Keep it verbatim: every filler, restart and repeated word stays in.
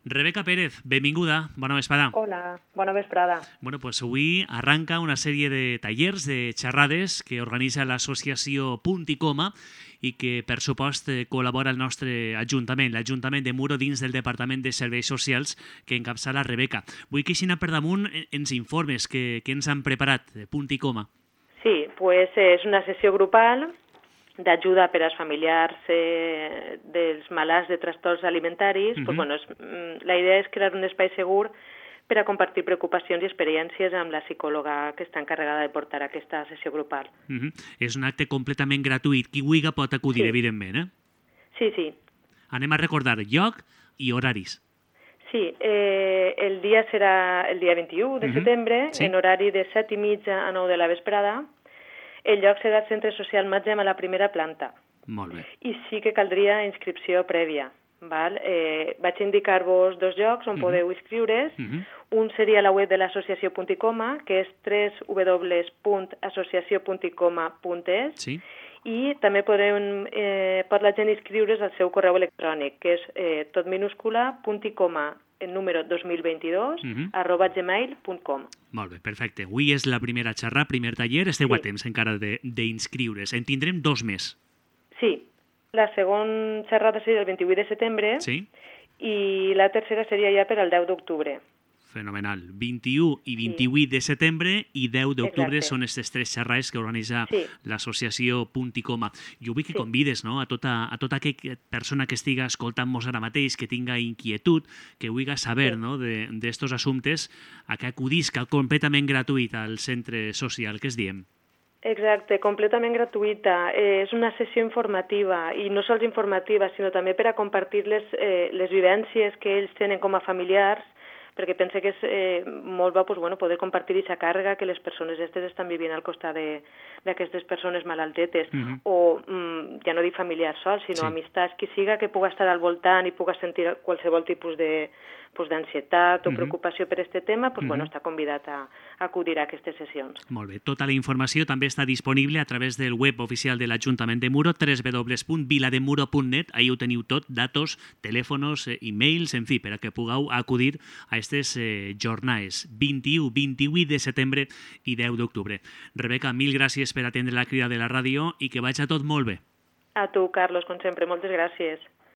Rebeca Pérez, benvinguda, bona vesprada. Hola, bona vesprada. Bueno, pues avui arranca una sèrie de tallers, de xerrades que organitza l'associació Punt i Coma i que, per supost, col·labora el nostre Ajuntament, l'Ajuntament de Muro, dins del Departament de Serveis Socials que encapçala Rebeca. Vull que aixina per damunt ens informes que, que ens han preparat, Punt i Coma. Sí, pues és una sessió grupal d'ajuda per als familiars eh, dels malalts de trastorns alimentaris. Uh-huh. Pues, bueno, és, la idea és crear un espai segur per a compartir preocupacions i experiències amb la psicòloga que està encarregada de portar aquesta sessió grupal. Uh-huh. És un acte completament gratuït. Qui vulgui pot acudir, sí. Evidentment, eh? Sí, sí. Anem a recordar lloc i horaris. Sí, eh, el dia serà el dia vint-i-u de uh-huh. setembre, sí. En horari de set i mitja a nou de la vesprada. El lloc serà el Centre Social Matzem a la primera planta. Molt bé. I sí que caldria inscripció prèvia. Val? Eh, vaig indicar-vos dos llocs on uh-huh. podeu inscriure's. Uh-huh. Un seria la web de l'associació Punt i Coma, que és w w w punt associació punt i coma punt es. Sí. I també podreu, eh, pot la gent inscriure's al seu correu electrònic, que és eh, tot minúscula, punt i coma, el número dos mil vint-i-dos, uh-huh. arroba gmail punt com. Molt bé, perfecte. Avui és la primera xerrada, primer taller. Esteu sí. a temps encara d'inscriure's. En tindrem dos més. Sí. La segona xerrada seria el vint-i-vuit de setembre sí. i la tercera seria ja per al deu d'octubre. Fenomenal. vint-i-u i vint-i-vuit sí. de setembre i deu d'octubre són aquestes tres xerrades que organitza sí. l'associació Punt i Coma. Jo vull que sí. convides, no?, a tota, a tota aquella persona que estiga escoltant-nos ara mateix, que tinga inquietud, que vulgui saber sí. no, d'estos assumptes, a que acudisca completament gratuït al centre social. Què es diem? Exacte, completament gratuïta. Eh, és una sessió informativa, i no sols informativa, sinó també per a compartir les, eh, les vivències que ells tenen com a familiars, perquè pense que és eh, molt bo pues, bueno, poder compartir aquesta càrrega que les persones aquestes estan vivint al costat d'aquestes persones malaltetes, uh-huh. o mm, ja no dic familiars sols, sinó sí. amistats, qui siga que puga estar al voltant i puga sentir qualsevol tipus de pues, d'ansietat o uh-huh. preocupació per aquest tema, pues, uh-huh. bueno, està convidat a, a acudir a aquestes sessions. Molt bé. Tota la informació també està disponible a través del web oficial de l'Ajuntament de Muro, w w w punt vilademuro punt net. Ahí ho teniu tot, datos, telèfons, e-mails, en fi, per a que pugueu acudir a aquestes eh, jornades, vint-i-u, vint-i-vuit de setembre i deu d'octubre. Rebeca, mil gràcies per atendre la crida de la ràdio i que vagi tot molt bé. A tu, Carlos, com sempre, moltes gràcies.